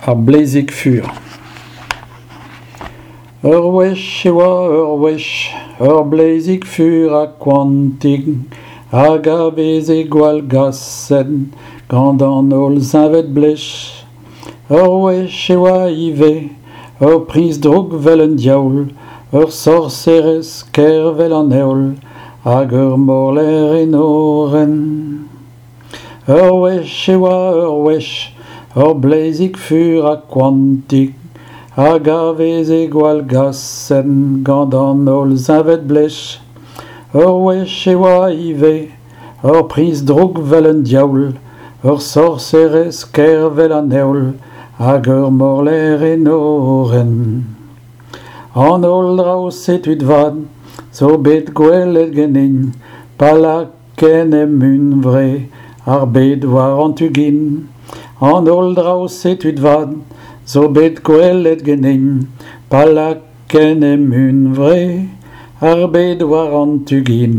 Ar bleizig fur. Ur wech e oa ur wech ur bleizig fur ha koantik hag a veze gwallgaset gant an holl zeñved-blej. Ur wech e oa ivez ur priñs drouk 'vel un diaoul, ur sorserez kaer 'vel an heol hag ur morlaer enorenn. Ur wech e oa ur wech ur bleizig fur ha koantik hag a veze gwallgaset gant an holl zeñved-blej. Ur wech e oa ivez ur priñs drouk 'vel un diaoul, ur sorserez kaer 'vel an heol hag ur morlaer enorenn. An holl draoù-se tud vat zo bet gwelet ganin pa lakaen em hunvre ar bed war an tu gin. An holl draoù-se tud vat zo bet gwelet ganin pa lakaen em hunvre ar bed war an tu gin.